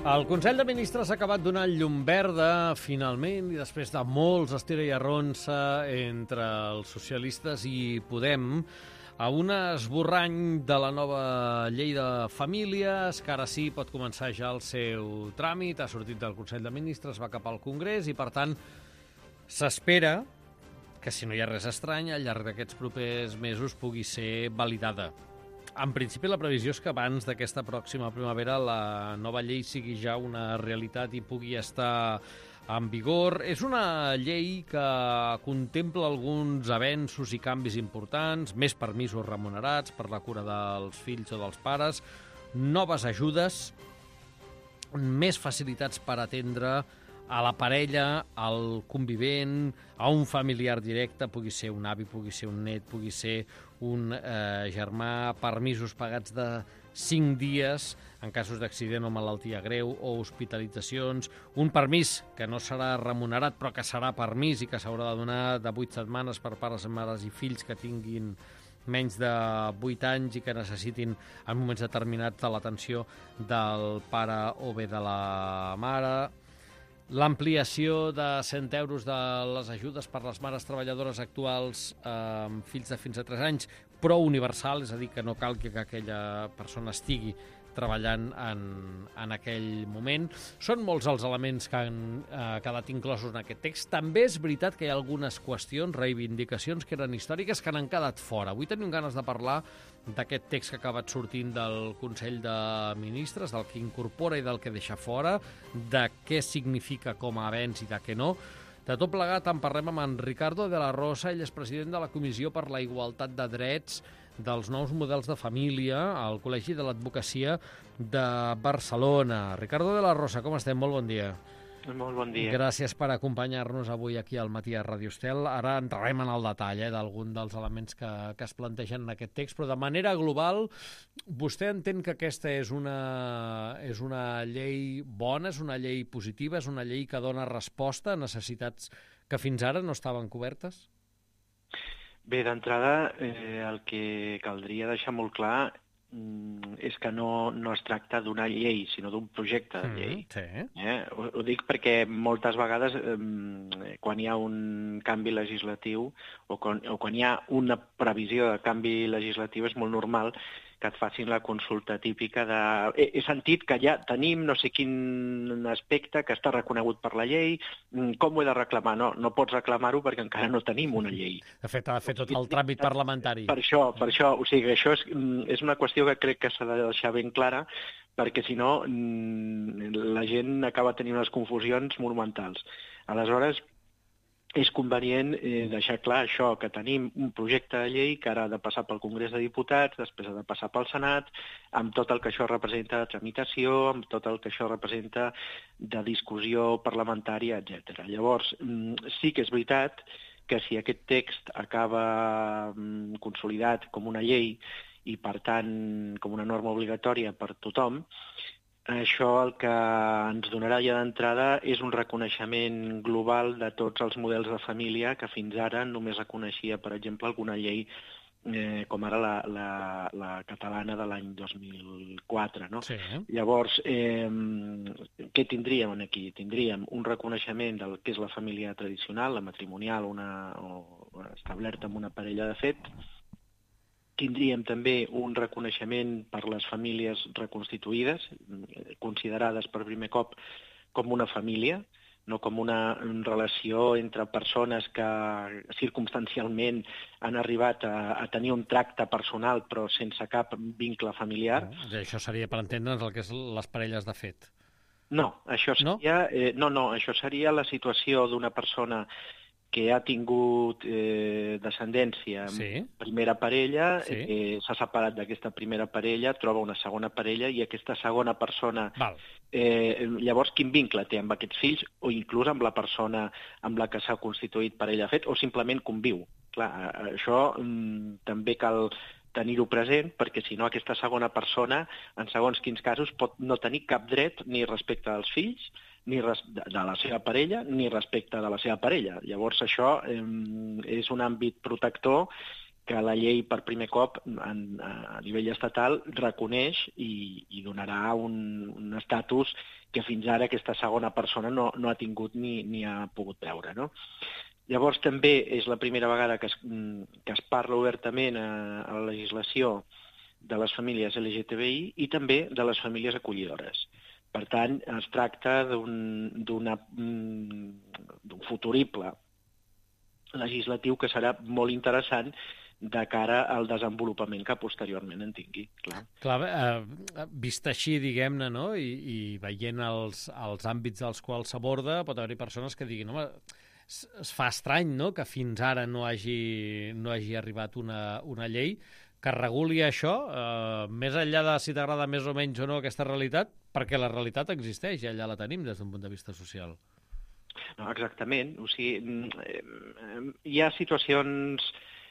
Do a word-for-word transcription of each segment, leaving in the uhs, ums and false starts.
El Consell de Ministres ha acabat donant llum verda, finalment, i després de molts estira i arronsa entre els socialistes i Podem, a un esborrany de la nova llei de famílies, que ara sí pot començar ja el seu tràmit, ha sortit del Consell de Ministres, va cap al Congrés, i per tant s'espera que, si no hi ha res estrany, al llarg d'aquests propers mesos pugui ser validada. En principi, la previsió és que abans d'aquesta pròxima primavera la nova llei sigui ja una realitat i pugui estar en vigor. És una llei que contempla alguns avenços i canvis importants, més permisos remunerats per la cura dels fills o dels pares, noves ajudes, més facilitats per atendre a la parella, al convivent, a un familiar directe, pugui ser un avi, pugui ser un net, pugui ser un eh, germà, permisos pagats de cinc dies en casos d'accident o malaltia greu o hospitalitzacions, un permís que no serà remunerat però que serà permís i que s'haurà de donar de vuit setmanes per pares, mares i fills que tinguin menys de vuit anys i que necessitin en moments determinats de l'atenció del pare o bé de la mare. L'ampliació de cent euros de les ajudes per les mares treballadores actuals amb eh, fills de fins a tres anys, però universal, és a dir, que no cal que aquella persona estigui treballant en, en aquell moment. Són molts els elements que han eh, quedat inclosos en aquest text. També és veritat que hi ha algunes qüestions, reivindicacions que eren històriques que n'han quedat fora. Avui tenim ganes de parlar d'aquest text que ha acabat sortint del Consell de Ministres, del que incorpora i del que deixa fora, de què significa com a avenç i de què no. De tot plegat en parlem amb en Ricardo de la Rosa, ell és president de la Comissió per la Igualtat de Drets dels nous models de família al Col·legi de l'Advocacia de Barcelona. Ricardo de la Rosa, com estem? Molt bon dia. Molt bon dia. Gràcies per acompanyar-nos avui aquí al Matí a Ràdio Estel. Ara entrarem en el detall eh, d'algun dels elements que, que es plantegen en aquest text, però de manera global, vostè entén que aquesta és una, és una llei bona, és una llei positiva, és una llei que dona resposta a necessitats que fins ara no estaven cobertes? Bé, d'entrada, eh, el que caldria deixar molt clar mm, és que no, no es tracta d'una llei, sinó d'un projecte de llei. Mm, sí. eh? ho, ho dic perquè moltes vegades, eh, quan hi ha un canvi legislatiu o quan, o quan hi ha una previsió de canvi legislatiu, és molt normal que et facin la consulta típica de... He, he sentit que ja tenim no sé quin aspecte que està reconegut per la llei, com ho he de reclamar? No, no pots reclamar-ho perquè encara no tenim una llei. De fet, ha de fer tot el tràmit parlamentari. Per això, per això, o sigui, això és, és una qüestió que crec que s'ha de deixar ben clara, perquè si no la gent acaba tenint unes confusions monumentals. Aleshores, és convenient eh, deixar clar això, que tenim un projecte de llei que ara ha de passar pel Congrés de Diputats, després ha de passar pel Senat, amb tot el que això representa de tramitació, amb tot el que això representa de discussió parlamentària, etcètera. Llavors, sí que és veritat que si aquest text acaba consolidat com una llei i, per tant, com una norma obligatòria per tothom, això el que ens donarà ja d'entrada és un reconeixement global de tots els models de família que fins ara només reconeixia, per exemple, alguna llei eh, com ara la, la, la catalana de l'any dos mil quatre. No? Sí. Llavors, eh, què tindríem aquí? Tindríem un reconeixement del que és la família tradicional, la matrimonial, una, o establerta amb una parella de fet. Tindríem també un reconeixement per les famílies reconstituïdes, considerades per primer cop com una família, no com una relació entre persones que circumstancialment han arribat a, a tenir un tracte personal però sense cap vincle familiar. No, això seria, per entendre'ns, el que és les parelles de fet. No, això seria, no? Eh, no, no, això seria la situació d'una persona que ha tingut eh, descendència amb sí. primera parella, sí. eh, s'ha separat d'aquesta primera parella, troba una segona parella i aquesta segona persona... Val. Eh, llavors, quin vincle té amb aquests fills o inclús amb la persona amb la que s'ha constituït parella de fet o simplement conviu? Clar, això mm, també cal tenir-ho present perquè si no aquesta segona persona, en segons quins casos, pot no tenir cap dret ni respecte als fills ni de la seva parella, ni respecte de la seva parella. Llavors, això eh, és un àmbit protector que la llei per primer cop en, a nivell estatal reconeix i, i donarà un, un estatus que fins ara aquesta segona persona no, no ha tingut ni, ni ha pogut veure, no? Llavors també és la primera vegada que es, que es parla obertament a, a la legislació de les famílies L G T B I i també de les famílies acollidores. Per tant, es tracta d'un d'un futurible legislatiu que serà molt interessant de cara al desenvolupament que posteriorment en tingui. Clar, clar eh, vist així, diguem-ne, no? I, i veient els, els àmbits dels quals s'aborda, pot haver-hi persones que diguin, home, es, es fa estrany, no?, que fins ara no hagi, no hagi arribat una, una llei que reguli això, eh, més enllà de si t'agrada més o menys o no aquesta realitat, perquè la realitat existeix i allà la tenim des d'un punt de vista social. No, exactament. O sigui, hi ha situacions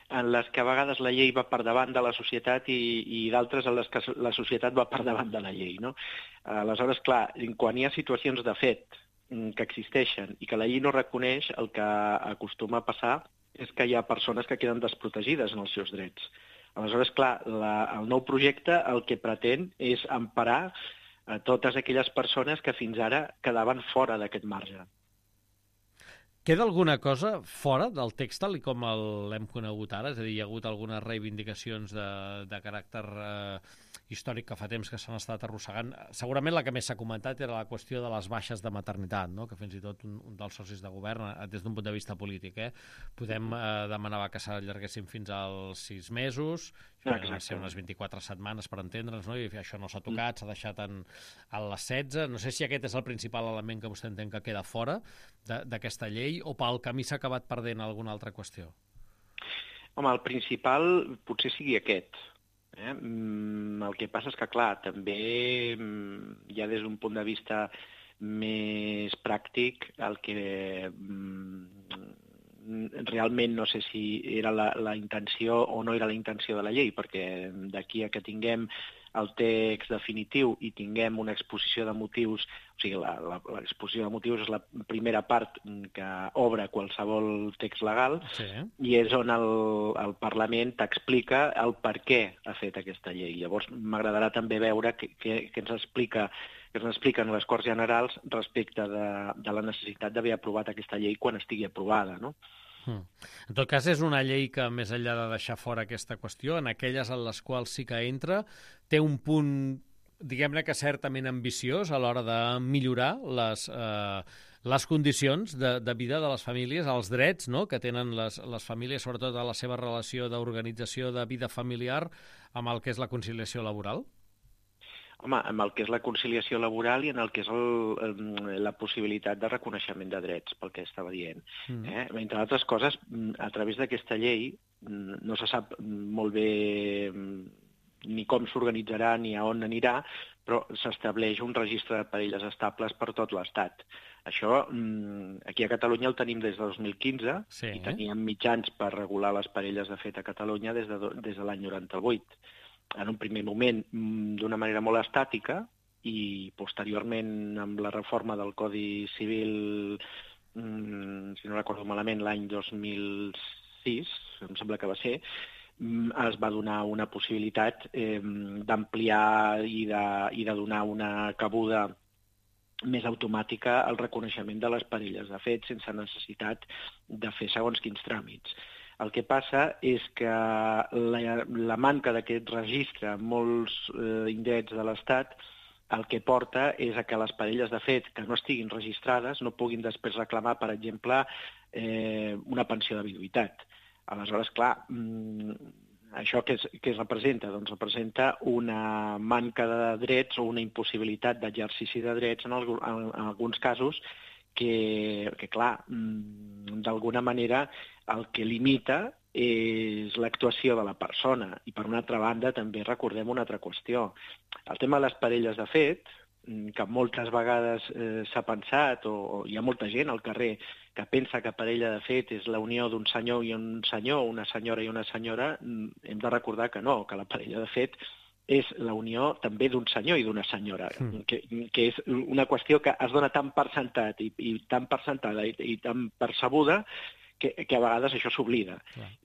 en les que a vegades la llei va per davant de la societat i, i d'altres en les que la societat va per davant de la llei, no? Aleshores, clar, quan hi ha situacions de fet que existeixen i que la llei no reconeix, el que acostuma a passar és que hi ha persones que queden desprotegides en els seus drets. Aleshores, clar, la, el nou projecte el que pretén és emparar a totes aquelles persones que fins ara quedaven fora d'aquest marge. Queda alguna cosa fora del text tal com l'hem conegut ara? És a dir, hi ha hagut algunes reivindicacions de, de caràcter eh, històric que fa temps que s'han estat arrossegant. Segurament la que més s'ha comentat era la qüestió de les baixes de maternitat, no?, que fins i tot un, un dels socis de govern, des d'un punt de vista polític, eh, podem eh, demanar que s'allarguessin fins als sis mesos, van ser unes vint-i-quatre setmanes per entendre'ns, no?, i això no s'ha tocat, s'ha deixat en, en les setze. No sé si aquest és el principal element que vostè entén que queda fora d'aquesta llei o pel camí s'ha acabat perdent alguna altra qüestió. Home, el principal potser sigui aquest. Eh? El que passa és que, clar, també ja des d'un punt de vista més pràctic, el que realment no sé si era la, la intenció o no era la intenció de la llei, perquè d'aquí a que tinguem el text definitiu i tinguem una exposició de motius, o sigui, l'exposició de motius és la primera part que obre qualsevol text legal, sí, i és on el, el Parlament t'explica el per què ha fet aquesta llei. Llavors m'agradarà també veure què, què, què ens explica que ens expliquen les Corts Generals respecte de, de la necessitat d'haver aprovat aquesta llei quan estigui aprovada, no? Mm. En tot cas, és una llei que, més enllà de deixar fora aquesta qüestió, en aquelles en les quals sí que entra, té un punt, diguem-ne que certament ambiciós a l'hora de millorar les, eh, les condicions de, de vida de les famílies, els drets, no?, que tenen les, les famílies, sobretot a la seva relació d'organització de vida familiar amb el que és la conciliació laboral. Home, amb el que és la conciliació laboral i en el que és el, la possibilitat de reconeixement de drets, pel que estava dient. Mm. Eh? Entre altres coses, a través d'aquesta llei no se sap molt bé ni com s'organitzarà ni a on anirà, però s'estableix un registre de parelles estables per tot l'Estat. Això, aquí a Catalunya el tenim des de dos mil quinze, sí, i teníem mitjans per regular les parelles de fet a Catalunya des de, des de l'any noranta-vuit. En un primer moment d'una manera molt estàtica i posteriorment amb la reforma del Codi Civil, si no recordo malament, l'any dos mil sis, em sembla que va ser, es va donar una possibilitat eh, d'ampliar i de, i de donar una cabuda més automàtica al reconeixement de les parelles de fet sense necessitat de fer segons quins tràmits. El que passa és que la, la manca d'aquest registre en molts eh, indrets de l'Estat el que porta és a que les parelles de fet que no estiguin registrades no puguin després reclamar, per exemple, eh, una pensió de viduïtat. Aleshores, clar, això què, és, què es representa? Doncs representa una manca de drets o una impossibilitat d'exercici de drets en, el, en, en alguns casos que, que clar, d'alguna manera el que limita és l'actuació de la persona. I per una altra banda també recordem una altra qüestió. El tema de les parelles de fet, que moltes vegades eh, s'ha pensat, o, o hi ha molta gent al carrer que pensa que parella de fet és la unió d'un senyor i un senyor, una senyora i una senyora, hem de recordar que no, que la parella de fet és la unió també d'un senyor i d'una senyora, mm. que, que és una qüestió que es dona tan per sentat i, i tan per sentada i, i tan percebuda que, que a vegades això s'oblida.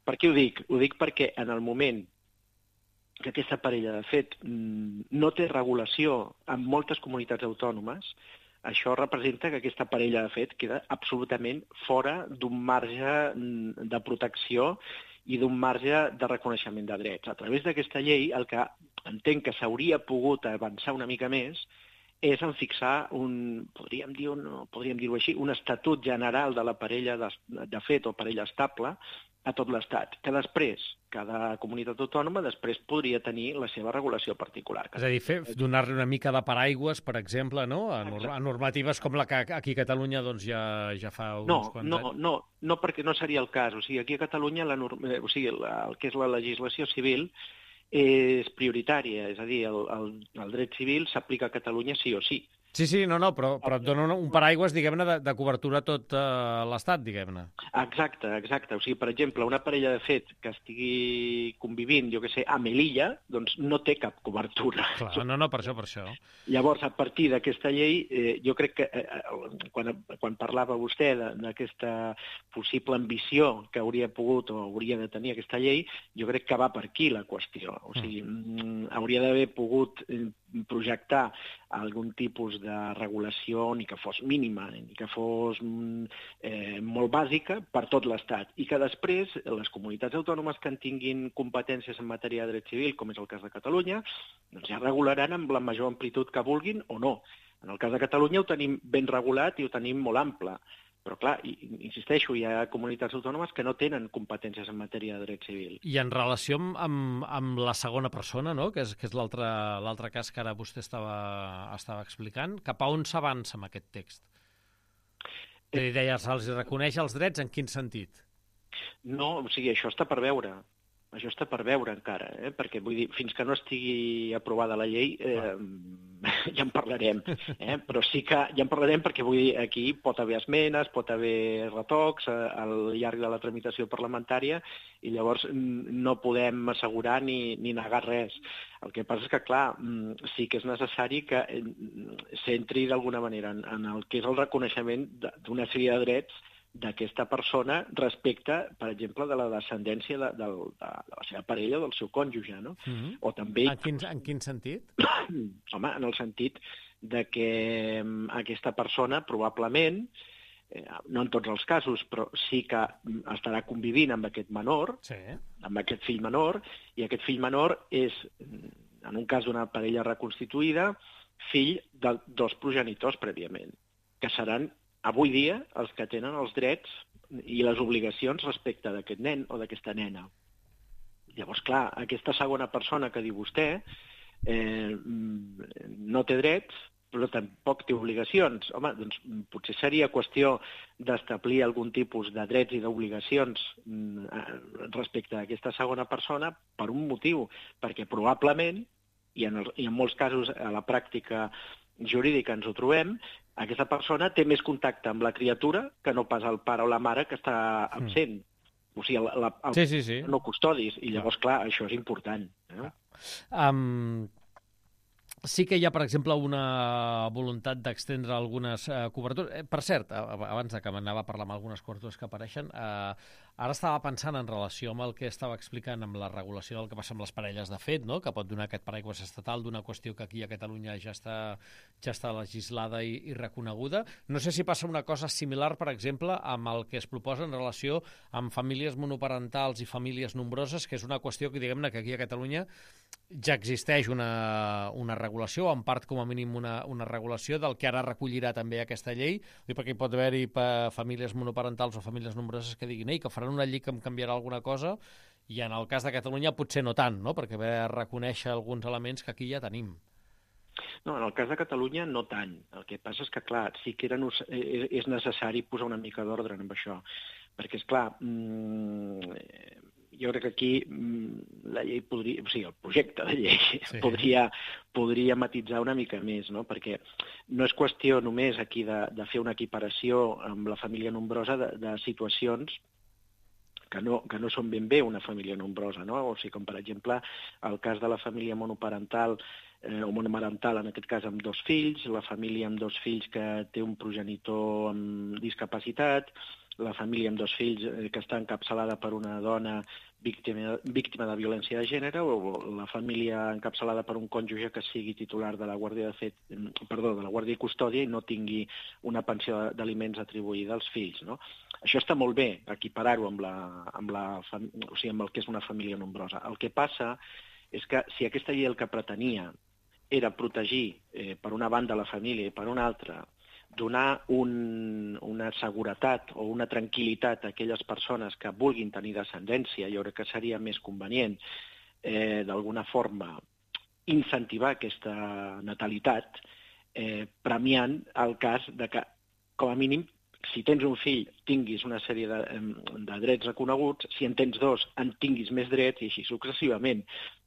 Per què ho dic? Ho dic perquè en el moment que aquesta parella, de fet, no té regulació en moltes comunitats autònomes, això representa que aquesta parella, de fet, queda absolutament fora d'un marge de protecció i d'un marge de reconeixement de drets. A través d'aquesta llei, el que entenc que s'hauria pogut avançar una mica més és en fixar un, podríem dir, un, podríem dir-ho així, un estatut general de la parella de, de fet o parella estable a tot l'Estat, que després, cada comunitat autònoma després podria tenir la seva regulació particular. És a dir, fer, donar-li una mica de paraigües, per exemple, no? a, norm a normatives com la que aquí a Catalunya doncs, ja, ja fa uns no, quants no, anys. No, no, perquè no seria el cas. O sigui, aquí a Catalunya la, o sigui, la, el que és la legislació civil és prioritària, és a dir, el, el, el dret civil s'aplica a Catalunya sí o sí. Sí, sí, no, no, però, però et dona un paraigües, diguem-ne, de, de cobertura a tot uh, l'Estat, diguem-ne. Exacte, exacte. O sigui, per exemple, una parella de fet que estigui convivint, jo què sé, a Melilla, doncs no té cap cobertura. Clar, no, no, per això, per això. Llavors, a partir d'aquesta llei, eh, jo crec que eh, quan, quan parlava vostè d'aquesta possible ambició que hauria pogut o hauria de tenir aquesta llei, jo crec que va per aquí la qüestió. O sigui, mm. hauria d'haver pogut eh, projectar algun tipus de regulació, ni que fos mínima, ni que fos eh, molt bàsica per tot l'Estat, i que després les comunitats autònomes que en tinguin competències en matèria de dret civil, com és el cas de Catalunya, doncs ja regularan amb la major amplitud que vulguin o no. En el cas de Catalunya ho tenim ben regulat i ho tenim molt ample. Però, clar, insisteixo, hi ha comunitats autònomes que no tenen competències en matèria de dret civil. I en relació amb, amb, amb la segona persona, no? que és, que és l'altre cas que ara vostè estava, estava explicant, cap a on s'avança amb aquest text? Eh, deia, se'ls reconeix els drets en quin sentit? No, o sigui, això està per veure. Això està per veure encara, eh? Perquè vull dir, fins que no estigui aprovada la llei eh, ja en parlarem, eh? Però sí que ja en parlarem perquè vull dir, aquí pot haver esmenes, pot haver retocs eh, al llarg de la tramitació parlamentària i llavors no podem assegurar ni, ni negar res. El que passa és que, clar, sí que és necessari que s'entri d'alguna manera en, en el que és el reconeixement d'una sèrie de drets d'aquesta persona respecte, per exemple, de la descendència de, de, de, de la seva parella o del seu cònjuge, no? Mm-hmm. O també... En quin, en quin sentit? Home, en el sentit de que aquesta persona probablement, eh, no en tots els casos, però sí que estarà convivint amb aquest menor, sí. amb aquest fill menor, i aquest fill menor és, en un cas d'una parella reconstituïda, fill de dos progenitors prèviament, que seran avui dia els que tenen els drets i les obligacions respecte d'aquest nen o d'aquesta nena. Llavors, clar, aquesta segona persona que diu vostè eh, no té drets, però tampoc té obligacions. Home, doncs potser seria qüestió d'establir algun tipus de drets i d'obligacions respecte a aquesta segona persona per un motiu, perquè probablement, i en, el, i en molts casos a la pràctica jurídica ens ho trobem, aquesta persona té més contacte amb la criatura que no pas el pare o la mare que està absent. Mm. O sigui, el, el, el, sí, sí, sí. no custodis. I llavors, clar, això és important. Eh? Um, sí que hi ha, per exemple, una voluntat d'extendre algunes uh, cobertures. Eh, per cert, abans que m'anava a parlar amb algunes cobertures que apareixen, uh, ara estava pensant en relació amb el que estava explicant amb la regulació del que passa amb les parelles de fet, no? Que pot donar aquest paraigües estatal d'una qüestió que aquí a Catalunya ja està, ja està legislada i, i reconeguda. No sé si passa una cosa similar, per exemple, amb el que es proposa en relació amb famílies monoparentals i famílies nombroses, que és una qüestió que, diguem-ne, que aquí a Catalunya ja existeix una, una regulació, o en part com a mínim una, una regulació del que ara recollirà també aquesta llei, perquè hi pot haver-hi famílies monoparentals o famílies nombroses que diguin Ei, que faran una llei que em canviarà alguna cosa, i en el cas de Catalunya potser no tant, no? Perquè ve a reconèixer alguns elements que aquí ja tenim. No, en el cas de Catalunya no tant. El que passa és que, clar, sí que era, és necessari posar una mica d'ordre en això, perquè, és clar, mmm, jo crec que aquí la llei podria, o sigui, el projecte de llei sí. podria, podria matitzar una mica més, no? Perquè no és qüestió només aquí de, de fer una equiparació amb la família nombrosa de, de situacions que no, que no són ben bé una família nombrosa, no? O sigui, com per exemple el cas de la família monoparental eh, o monomarental, en aquest cas amb dos fills, la família amb dos fills que té un progenitor amb discapacitat, la família amb dos fills eh, que està encapçalada per una dona víctima, víctima de violència de gènere, o la família encapçalada per un cònjuge que sigui titular de la guàrdia de fet, perdó, de la guàrdia i custòdia i no tingui una pensió d'aliments atribuïda als fills, no? Això està molt bé, equiparar-ho amb, la, amb, la, o sigui, amb el que és una família nombrosa. El que passa és que si aquesta llei el que pretenia era protegir, eh, per una banda, la família i per una altra, donar un, una seguretat o una tranquil·litat a aquelles persones que vulguin tenir descendència, jo crec que seria més convenient, eh, d'alguna forma, incentivar aquesta natalitat, eh, premiant el cas de que, com a mínim, si tens un fill, tinguis una sèrie de, de drets reconeguts, si en tens dos, en tinguis més drets, i així successivament.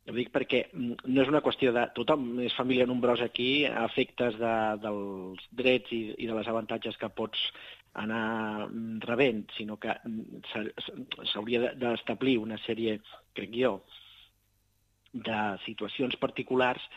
Ho dic perquè no és una qüestió de tothom és família nombrosa aquí a efectes de, dels drets i, i de les avantatges que pots anar rebent, sinó que s'hauria d'establir una sèrie, crec jo, de situacions particulars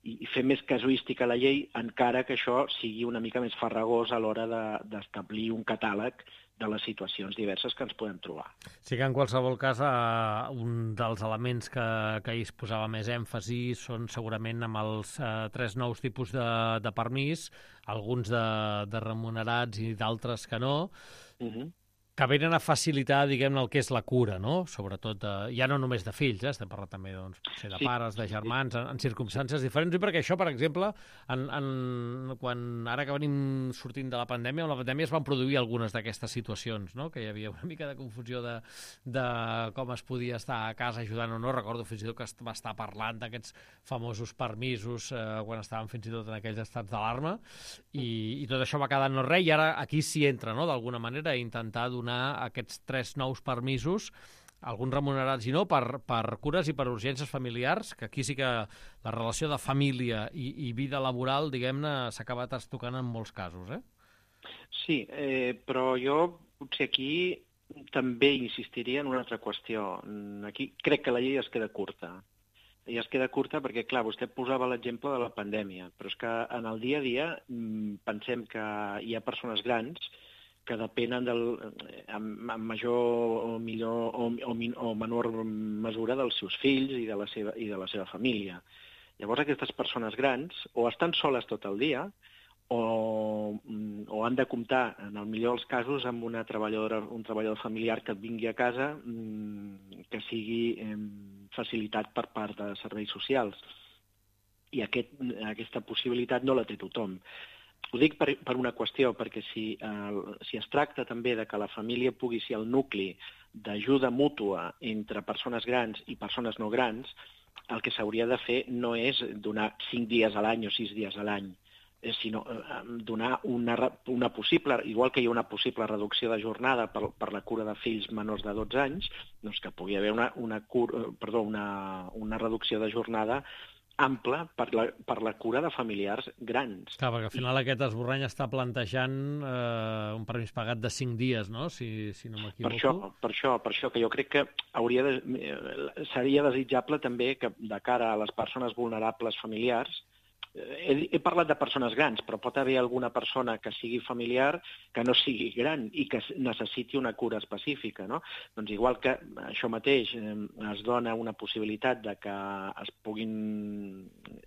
i fer més casuística a la llei, encara que això sigui una mica més farragós a l'hora d'establir un catàleg de les situacions diverses que ens podem trobar. Sí que en qualsevol cas eh, un dels elements que, que ahir es posava més èmfasi són segurament amb els eh, tres nous tipus de, de permís, alguns de, de remunerats i d'altres que no, uh-huh. que venen a facilitar, diguem-ne, el que és la cura, no? Sobretot, de, ja no només de fills, eh? Estem parlant també doncs, potser de sí, pares, de germans, sí. en, en circumstàncies diferents, i perquè això, per exemple, en, en, quan ara que venim sortint de la pandèmia, amb la pandèmia es van produir algunes d'aquestes situacions, no? Que hi havia una mica de confusió de, de com es podia estar a casa ajudant o no. Recordo fins i tot que es va estar parlant d'aquests famosos permisos eh, quan estàvem fins i tot en aquells estats d'alarma, i, i tot això va quedar no res, i ara aquí s'hi entra, no? D'alguna manera, a intentar donar aquests tres nous permisos, alguns remunerats i no, per, per cures i per urgències familiars, que aquí sí que la relació de família i, i vida laboral, diguem-ne, s'ha acabat estocant en molts casos, eh? Sí, eh, però jo potser aquí també insistiria en una altra qüestió. Aquí crec que la llei es queda curta. I es queda curta perquè, clar, vostè posava l'exemple de la pandèmia, però és que en el dia a dia pensem que hi ha persones grans que depenen del, en, en major o millor o, o, o menor mesura dels seus fills i de la seva, i de la seva família. Llavors aquestes persones grans o estan soles tot el dia o, o han de comptar, en el millor dels casos, amb una treballadora, un treballador familiar que et vingui a casa que sigui eh, facilitat per part de serveis socials. I aquest, aquesta possibilitat no la té tothom. Ho dic per, per una qüestió, perquè si, eh, si es tracta també de que la família pugui ser el nucli d'ajuda mútua entre persones grans i persones no grans, el que s'hauria de fer no és donar cinc dies a l'any o sis dies a l'any, sinó eh, donar una, una possible, igual que hi ha una possible reducció de jornada per, per la cura de fills menors de dotze anys, doncs que pugui haver una, una, cura, perdó, una, una reducció de jornada ampla per la, per la cura de familiars grans. Clar, perquè al final I... aquest esborrany està plantejant eh, un permís pagat de cinc dies, no?, si, si no m'equivoco. Per això, per això, per això que jo crec que hauria de, seria desitjable també que de cara a les persones vulnerables familiars, He, he parlat de persones grans, però pot haver alguna persona que sigui familiar que no sigui gran i que necessiti una cura específica, no? Doncs igual que això mateix eh, es dona una possibilitat de que es, puguin,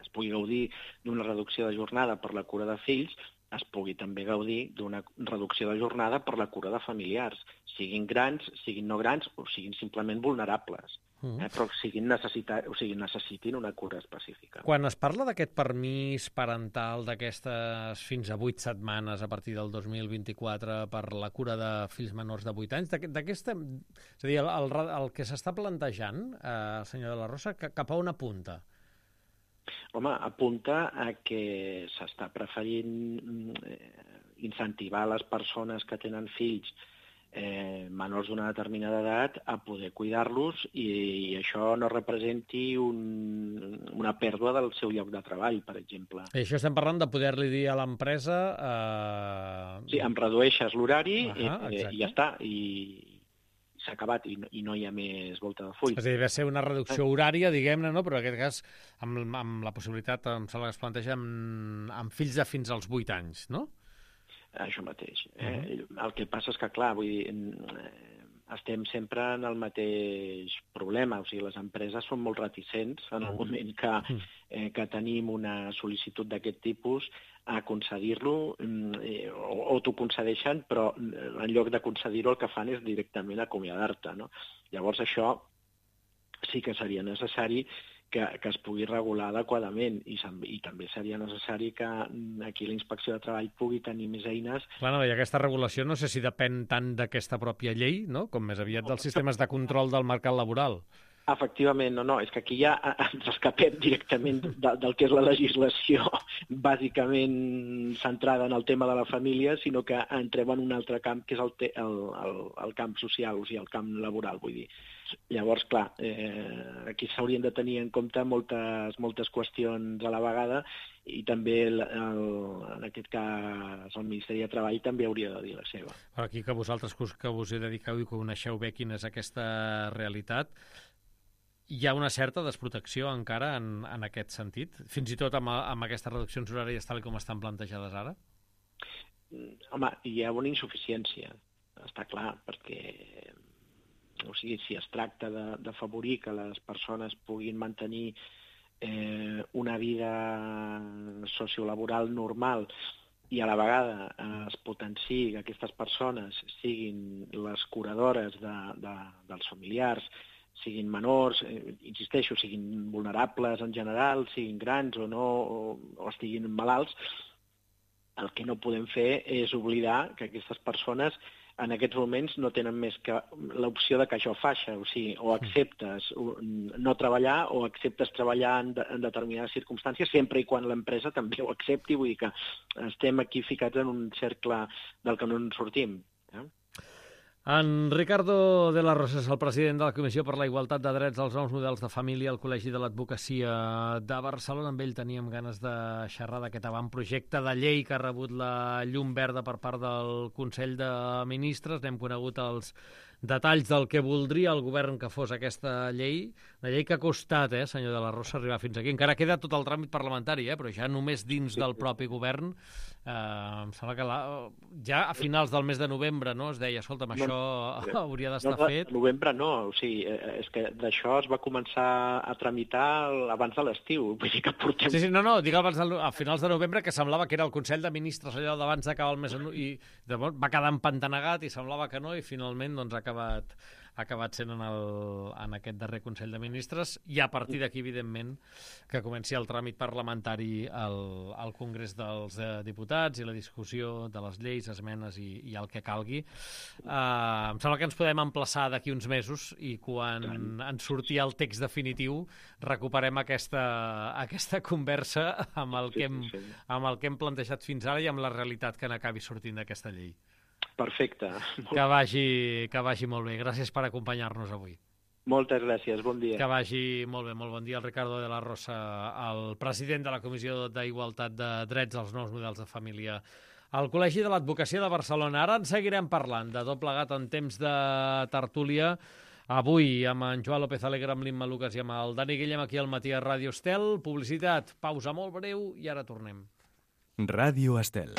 es pugui gaudir d'una reducció de jornada per la cura de fills, es pugui també gaudir d'una reducció de jornada per la cura de familiars, siguin grans, siguin no grans o siguin simplement vulnerables. Mm. Eh, però siguin necessita... o sigui, necessitin una cura específica. Quan es parla d'aquest permís parental d'aquestes fins a vuit setmanes a partir del dos mil vint-i-quatre per la cura de fills menors de vuit anys, d'aquesta, és a dir, el, el, el que s'està plantejant, eh, senyor de la Rosa, cap a on apunta? Home, apunta a que s'està preferint eh, incentivar les persones que tenen fills Eh, menors d'una determinada edat a poder cuidar-los i, i això no representi un, una pèrdua del seu lloc de treball, per exemple. I això estem parlant de poder-li dir a l'empresa... Eh... Sí, em redueixes l'horari uh -huh, eh, i ja està, i s'ha acabat i no, i no hi ha més volta de full. És a dir, va ser una reducció horària, diguem-ne, no? Però en aquest cas amb, amb la possibilitat, em sembla que es planteja, amb, amb fills de fins als vuit anys, no? això mateix. Eh? Uh-huh. El que passa és que, clar, vull dir, eh, estem sempre en el mateix problema. O sigui, les empreses són molt reticents en el moment que, eh, que tenim una sol·licitud d'aquest tipus a concedir-lo, eh, o, o t'ho concedeixen, però en lloc de concedir-ho el que fan és directament acomiadar-te, no? Llavors això sí que seria necessari que, que es pugui regular adequadament i, i també seria necessari que aquí la Inspecció de Treball pugui tenir més eines. Clar, no, i aquesta regulació no sé si depèn tant d'aquesta pròpia llei, no?, com més aviat dels sistemes de control del mercat laboral. Efectivament, no, no, és que aquí ja ens escapem directament de, del que és la legislació bàsicament centrada en el tema de la família, sinó que entrem en un altre camp, que és el, te, el, el, el camp social, o sigui, el camp laboral, vull dir. Llavors, clar, eh, aquí s'haurien de tenir en compte moltes, moltes qüestions a la vegada i també, el, el, en aquest cas, el Ministeri de Treball també hauria de dir la seva. Però aquí que vosaltres que us hi dediqueu i coneixeu bé quina és aquesta realitat, hi ha una certa desprotecció encara en, en aquest sentit? Fins i tot amb, amb aquestes reduccions horàries tal com estan plantejades ara? Home, hi ha una insuficiència, està clar, perquè o sigui, si es tracta d'afavorir que les persones puguin mantenir eh, una vida sociolaboral normal i a la vegada eh, es potenciï que aquestes persones siguin les curadores de, de, dels familiars, siguin menors, eh, insisteixo, siguin vulnerables en general, siguin grans o no, o, o estiguin malalts, el que no podem fer és oblidar que aquestes persones en aquests moments no tenen més que l'opció de que això faixa, o sigui, o acceptes no treballar o acceptes treballar en, de, en determinades circumstàncies, sempre i quan l'empresa també ho accepti, vull dir que estem aquí ficats en un cercle del que no en sortim. Eh? En Ricardo de la Rosa és el president de la Comissió per la Igualtat de Drets als Nous Models de Família al Col·legi de l'Advocacia de Barcelona. Amb ell teníem ganes de xerrar d'aquest avantprojecte de llei que ha rebut la llum verda per part del Consell de Ministres. N'hem conegut els detalls del que voldria el govern que fos aquesta llei. Una llei que ha costat, eh, senyor de la Rosa, arribar fins aquí. Encara queda tot el tràmit parlamentari, eh, però ja només dins del propi govern. Eh, em sembla que la, ja a finals del mes de novembre, no?, es deia, escolta'm, això no, hauria d'estar no, fet. Novembre no, o sigui, és que d'això es va començar a tramitar abans de l'estiu, vull dir que portem... Sí, sí, no, no, dic abans de, a finals de novembre, que semblava que era el Consell de Ministres allò d'abans d'acabar el mes, i llavors va quedar empantanegat i semblava que no, i finalment doncs ha acabat, ha acabat sent en, el, en aquest darrer Consell de Ministres, i a partir d'aquí, evidentment, que comenci el tràmit parlamentari al, al Congrés dels eh, Diputats i la discussió de les lleis, esmenes i, i el que calgui. Uh, em sembla que ens podem emplaçar d'aquí uns mesos i quan ens surti el text definitiu recuperem aquesta, aquesta conversa amb el, que hem, amb el que hem plantejat fins ara i amb la realitat que n'acabi sortint d'aquesta llei. Perfecte. Que vagi, que vagi molt bé. Gràcies per acompanyar-nos avui. Moltes gràcies, bon dia. Que vagi molt bé, molt bon dia. El Ricardo de la Rosa, el president de la Comissió d'Igualtat de Drets als Nous Models de Família al Col·legi de l'Advocacia de Barcelona. Ara en seguirem parlant de tot plegat en temps de tertúlia. Avui amb en Joan López Alegre, amb l'Imma Lucas i amb el Dani Guillem aquí al matí a Ràdio Estel. Publicitat, pausa molt breu i ara tornem. Ràdio Estel.